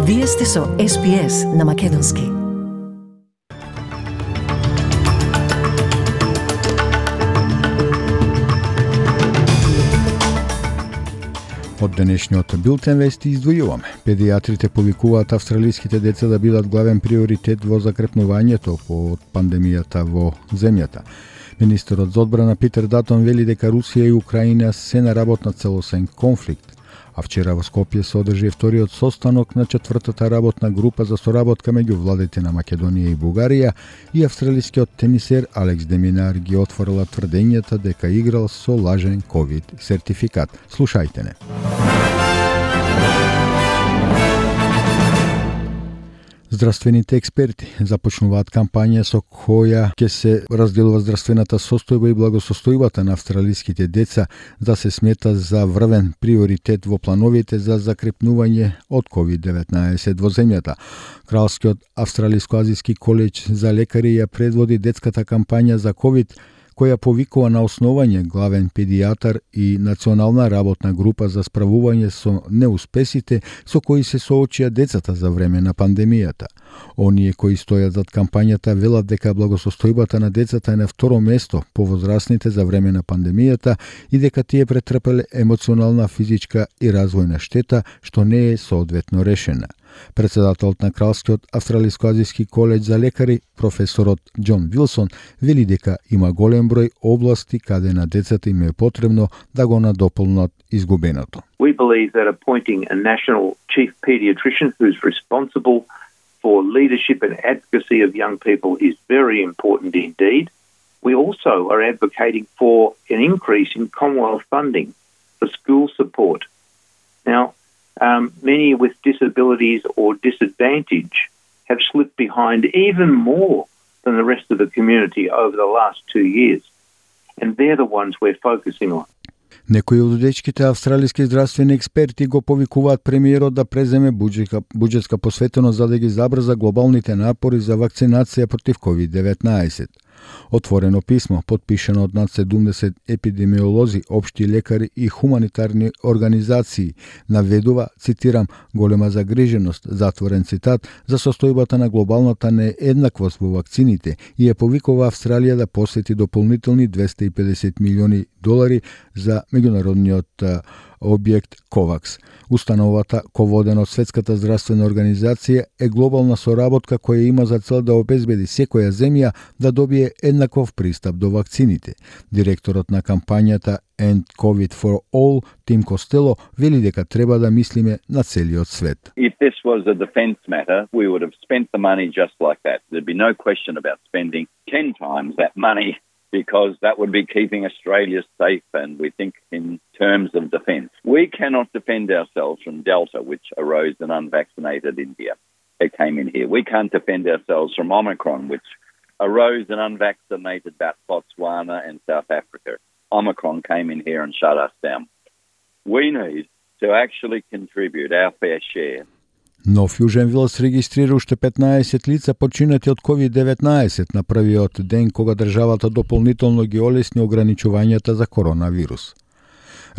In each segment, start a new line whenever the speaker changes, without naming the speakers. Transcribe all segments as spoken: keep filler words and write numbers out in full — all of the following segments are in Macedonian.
Вие сте со Ес Би Ес на Македонски.
Од денешниот билтен вести издвојуваме. Педиатрите повикуваат австралиските деца да бидат главен приоритет во закрепнувањето од пандемијата во земјата. Министерот за одбрана Питер Датон вели дека Русија и Украина се на работ на целосен конфликт. А вчера во Скопје се одржи вториот состанок на четвртата работна група за соработка меѓу владите на Македонија и Бугарија, и австралискиот тенисер Алекс де Минар ги отворила тврдењата дека играл со лажен ковид сертификат. Слушајте не. Здравствените експерти започнуваат кампања со која ќе се разделува здравствената состојба и благосостојбата на австралиските деца да се смета за врвен приоритет во плановите за закрепнување од ковид деветнаесет во земјата. Кралскиот австралиско-азиски колеж за лекари ја предводи детската кампања за ковид, која повикува на основање главен педијатар и национална работна група за справување со неуспесите со кои се соочија децата за време на пандемијата. Оние кои стојат зад кампањата велат дека благосостојбата на децата е на второ место по возрастните за време на пандемијата и дека тие претрпеле емоционална, физичка и развојна штета што не е соодветно решена. Председателот на Кралскиот австралиско-азиски колеж за лекари, професорот Џон Вилсон, вели дека има голем број области каде на децата им е потребно да го надополнат изгубеното.
We believe that appointing a national chief pediatrician who's responsible for leadership and advocacy of young people is very important indeed. We also are advocating for an increase in Commonwealth funding for school support. Now, Um, many with disabilities or disadvantage have slipped behind even more than the rest of the community over the last two years. And they're the ones we're focusing on.
Некои од дечките австралиски здравствени експерти го повикуваат премиерот да преземе буџетска, буџетска посветеност за да ги забрза глобалните напори за вакцинација против ковид деветнаесет. Отворено писмо, подпишано од над седумдесет епидемиолози, општи лекари и хуманитарни организации, наведува, цитирам, голема загриженост, затворен цитат, за состојбата на глобалната нееднаквост во вакцините и ја повикува Австралија да посвети дополнителни двесте и педесет милиони долари за меѓународниот објект ковакс. Установата, ководена од Светската здравствена организација, е глобална соработка која има за цел да обезбеди секоја земја да добие еднаков пристап до вакцините. Директорот на кампањата End COVID for All, Тим Костело, вели дека треба да мислиме на целиот свет.
If this was a defense matter, we would have spent the money just like that. There'd be no question about spending ten times that money, because that would be keeping Australia safe, and we think in terms of defence. We cannot defend ourselves from Delta, which arose in unvaccinated India. It came in here. We can't defend ourselves from Omicron, which arose in unvaccinated Botswana and South Africa. Omicron came in here and shut us down. We need to actually contribute our fair share.
Но Фјуженвилс регистрира уште петнаесет лица починати од ковид деветнаесет на првиот ден кога државата дополнително ги олесни ограничувањата за коронавирус.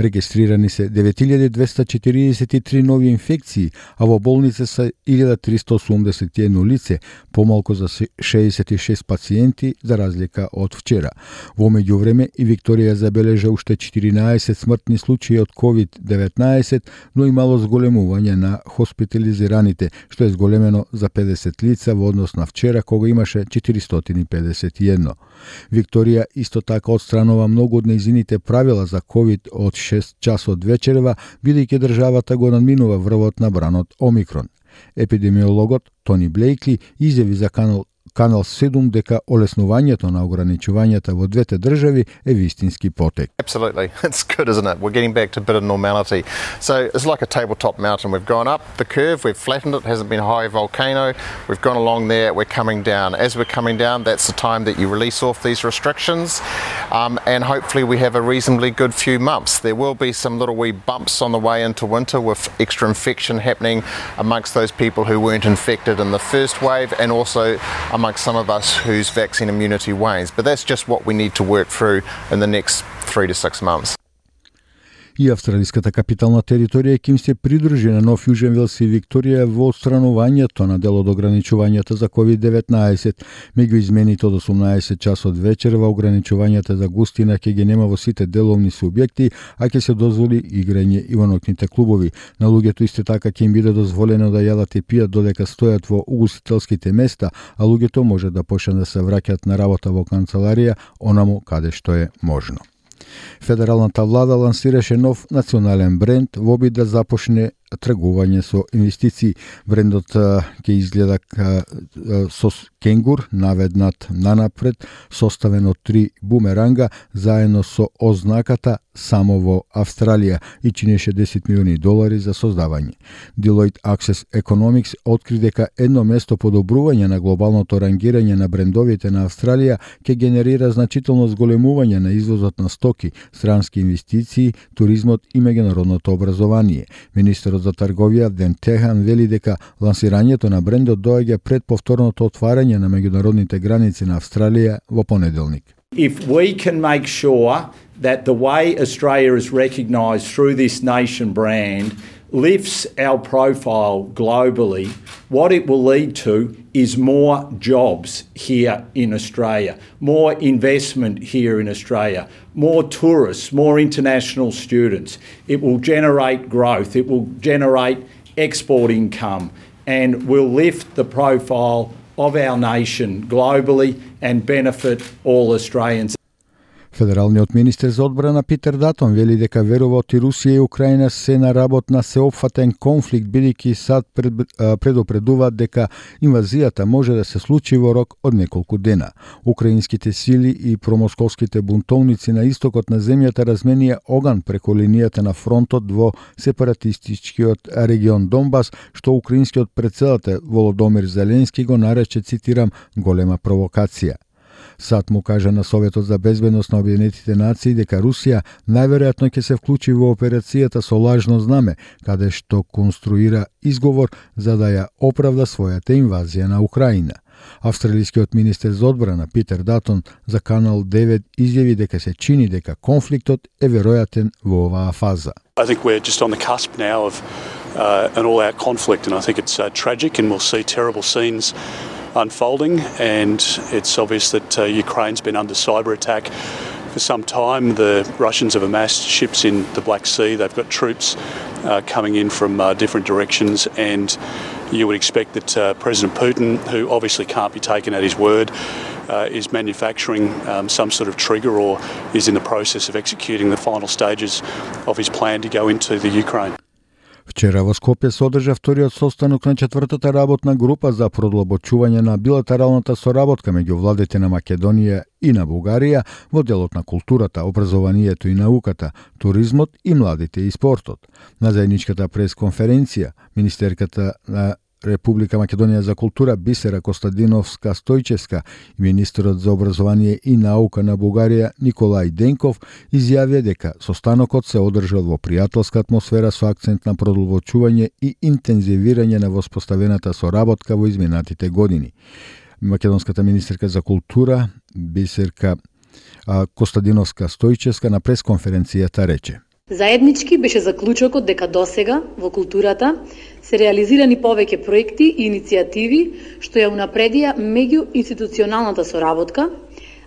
Регистрирани се девет илјади двесте четиридесет и три нови инфекции, а во болница се илјада триста осумдесет и едно лице, помалку за шеесет и шест пациенти за разлика од вчера. Во меѓувреме и Викторија забележа уште четиринаесет смртни случаи од ковид деветнаесет, но и мало зголемување на хоспитализираните, што е зголемено за педесет лица во однос на вчера кога имаше четиристотини и педесет и едно. Викторија исто така отстранува многу од нејзините правила за ковид од шест часот вечерва, бидејќи државата го надминува врвот на бранот Омикрон. Епидемиологот Тони Блейкли изјави за канал Канал седум дека олеснувањето на ограничувањата во двете држави е вистински потек.
Absolutely. It's good, isn't it? We're getting back to a bit of normality. So it's like a tabletop mountain. We've gone up the curve, we've flattened it, hasn't been a high volcano. We've gone along there, we're coming down. As we're coming down, that's the time that you release off these restrictions. Um, and hopefully we have a reasonably good few months. There will be some little wee bumps on the way into winter with extra infection happening amongst those people who weren't infected in the first wave, and also amongst some of us whose vaccine immunity wanes. But that's just what we need to work through in the next three to six months.
И австралиската капитална територија ќе им се придружи на Нов Јужен Велс и Викторија во отстранувањето на дел од ограничувањата за ковид деветнаесет. Меѓу измените од осумнаесет часот вечерва ограничувањата за густина ќе ги нема во сите деловни субјекти, а ќе се дозволи играње и во ноќните клубови. На луѓето исто така ќе им биде дозволено да јадат и пијат додека стојат во угостителските места, а луѓето може да почнат да се враќаат на работа во канцеларија онаму каде што е можно. Федералната влада лансираше нов национален бренд во обид да започне тргување со инвестиции. Брендот ќе изгледа со кенгур наведнат нанапред, составен од три бумеранга, заедно со ознаката само во Австралија и чинеше десет милиони долари за создавање. Deloitte Access Economics откри дека едно место подобрување на глобалното рангирање на брендовите на Австралија ќе генерира значително зголемување на извозот на стоки, странски инвестиции, туризмот и меѓународното образование. Министерот за трговија Ден Техан вели дека лансирањето на брендот доаѓа пред повторното отварање на меѓународните граници на Австралија во понеделник.
If we can make sure that the way Australia is recognised through this nation brand lifts our profile globally, what it will lead to is more jobs here in Australia, more investment here in Australia, more tourists, more international students. It will generate growth, it will generate export income, and will lift the profile of our nation globally and benefit all Australians.
Федералниот министер за одбрана Питер Датон вели дека верува оти Русија и Украина се на работ на сеопфатен конфликт, бидејќи САД пред, предупредуваат дека инвазијата може да се случи во рок од неколку дена. Украинските сили и промосковските бунтовници на истокот на земјата разменија оган преку линијата на фронтот во сепаратистичкиот регион Донбас, што украинскиот претседател Володомир Зеленски го нарече, цитирам, голема провокација. САД му кажа на Советот за безбедност на Обединетите нации дека Русија најверојатно ќе се вклучи во операцијата со лажно знаме, каде што конструира изговор за да ја оправда својата инвазија на Украина. Австралискиот министер за одбрана Питер Датон за Канал девет изјави дека се чини дека конфликтот е веројатен во оваа фаза.
I think we're just on the cusp now of uh, an all-out conflict, and I think it's uh, tragic, and we'll see terrible scenes unfolding, and it's obvious that uh, Ukraine's been under cyber attack for some time. The Russians have amassed ships in the Black Sea. They've got troops uh, coming in from uh, different directions, and you would expect that uh, President Putin, who obviously can't be taken at his word, uh, is manufacturing um, some sort of trigger or is in the process of executing the final stages of his plan to go into the Ukraine.
Вчера во Скопје се одржа вториот состанок на четвртата работна група за продлабочување на билатералната соработка меѓу владите на Македонија и на Бугарија во делот на културата, образованието и науката, туризмот и младите и спортот. На заедничката пресконференција, министерката на Република Македонија за култура Бисера Костадиновска Стојчевска и министерот за образование и наука на Бугарија Николај Денков изјавија дека состанокот се одржал во пријателска атмосфера со акцент на продолбочување и интензивирање на воспоставената соработка во изминатите години. Македонската министерка за култура Бисерка Костадиновска Стојчевска на пресконференцијата рече:
Заеднички беше заклучокот дека досега во културата се реализирани повеќе проекти и иницијативи што ја унапредија меѓуинституционалната соработка,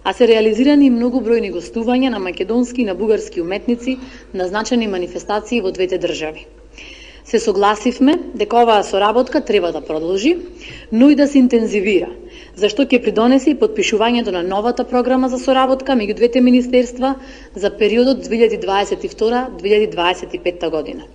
а се реализирани многу бројни гостувања на македонски и на бугарски уметници на значајни манифестации во двете држави. Се согласивме дека оваа соработка треба да продолжи, но и да се интензивира, зашто ќе придонесе и подпишувањето на новата програма за соработка меѓу двете министерства за периодот две илјади дваесет и втора до две илјади дваесет и петта година.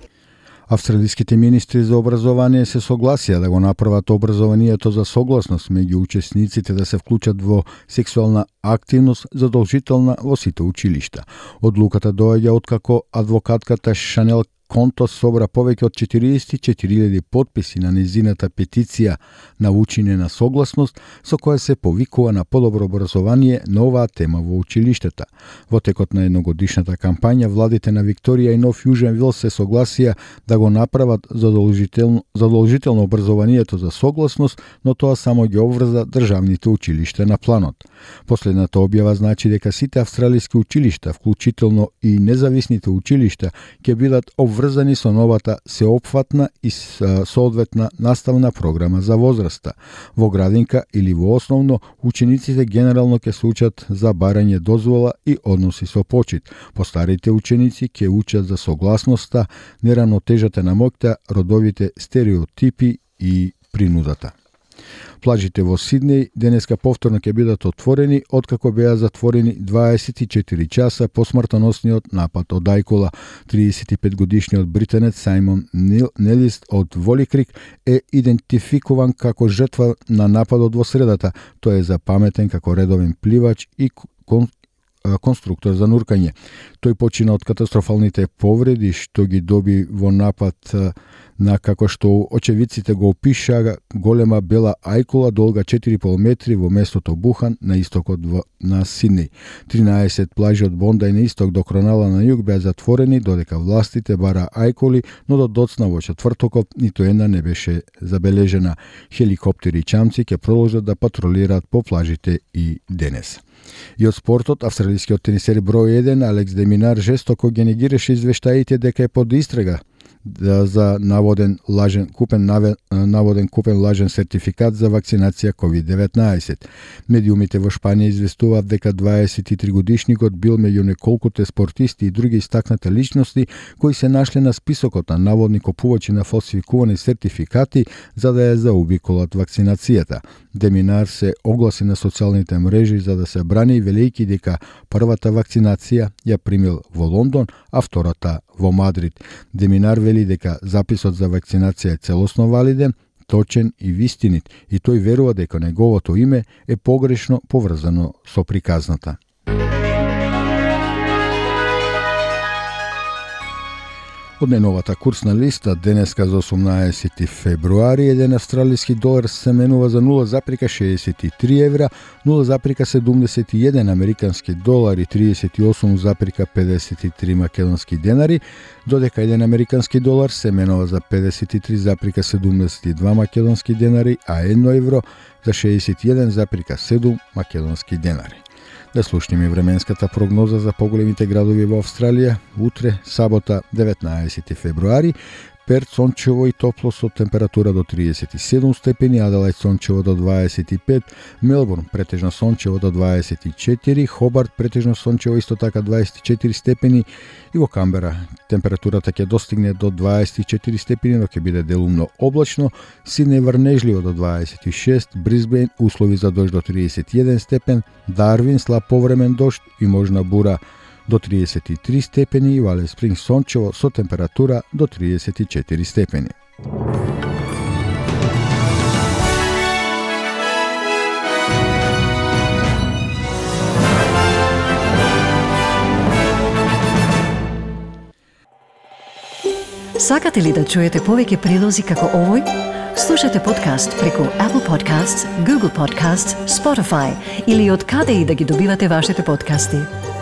Австралиските министри за образование се согласија да го направат образованието за согласност меѓу учесниците да се вклучат во сексуална активност задолжителна во сите училишта. Одлуката доаѓа откако адвокатката Шанел конто собра повеќе од четириесет и четири илјади потписи на незината петиција на учење на согласност, со која се повикува на подобро образование на оваа тема во училиштата. Во текот на едногодишната кампања, владите на Викторија и Нов Јужен Вел се согласија да го направат задолжително, задолжително образованието за согласност, но тоа само ги обврза државните училишта на планот. Последната објава значи дека сите австралиски училишта, вклучително и независните училишта, ќе бидат обврзани со новата сеопфатна и соодветна наставна програма за возраста. Во градинка или во основно, учениците генерално ќе се учат за барање дозвола и односи со почит. Постарите ученици ќе учат за согласноста, неравнотежата на моќта, родовите стереотипи и принудата. Плажите во Сиднеј денеска повторно ќе бидат отворени, откако беа затворени дваесет и четири часа по смртоносниот напад од ајкула. триесет и пет годишниот британец Сајмон Нелист од Воликрик е идентификуван како жртва на нападот во средата. Тој е запаметен како редовен пливач и кон конструктор за нуркање. Тој почина од катастрофалните повреди што ги доби во напад на, како што очевидците го опишаа, голема бела ајкула долга четири и пол метри во местото Бухан на истокот во, на Сиднеј. тринаесет плажи од Бондај на исток до Кронала на југ беа затворени, додека властите бара ајкули, но до доцна во четвртокот ниту една не беше забележена. Хеликоптери и чамци ќе продолжат да патролираат по плажите и денес. И од спортот, австралискиот тенисер број еден Алекс де Минар жестоко ги негираше извештаите дека е под истрага за наводен лажен купен наводен купен лажен сертификат за вакцинација ковид деветнаесет. Медиумите во Шпанија известуваат дека дваесет и три годишникот бил меѓу неколкуте спортисти и други истакнати личности кои се нашле на списокот на наводни купувачи на фалсификувани сертификати за да ја заобиколат вакцинацијата. Деминар се огласи на социјалните мрежи за да се брани, велејќи дека првата вакцинација ја примил во Лондон, а втората во Мадрид. Деминар вели дека записот за вакцинација е целосно валиден, точен и вистинит, и тој верува дека неговото име е погрешно поврзано со приказната. Од најновата курсна листа, денеска за осумнаесети февруари, еден австралиски долар се менува за нула запирка шеесет и три евра, нула запирка седумдесет и еден американски долар и триесет и осум запирка педесет и три македонски денари, додека еден американски долар се менува за педесет и три запирка седумдесет и два македонски денари, а едно евро за шеесет и еден запирка седум македонски денари. Да слушнеме временската прогноза за поголемите градови во Австралија. Утре, сабота, деветнаесети февруари, Перт сончево и топло со температура до триесет и седум степени, Аделајд сончево до дваесет и пет, Мелбурн претежно сончево до дваесет и четири, Хобарт претежно сончево исто така дваесет и четири степени и во Камбера температурата ќе достигне до дваесет и четири степени, но ќе биде делумно облачно, Сиднеј врнежливо до дваесет и шест, Брисбејн услови за дожд до триесет и еден степен, Дарвин слаб повремен дожд и можна бура до триесет и три степени и Вале Спринг сончево со температура до триесет и четири степени.
Сакате ли да чуете повеќе прилози како овој? Слушате подкаст преку Apple Podcasts, Google Podcasts, Spotify или од каде и да ги добивате вашите подкасти.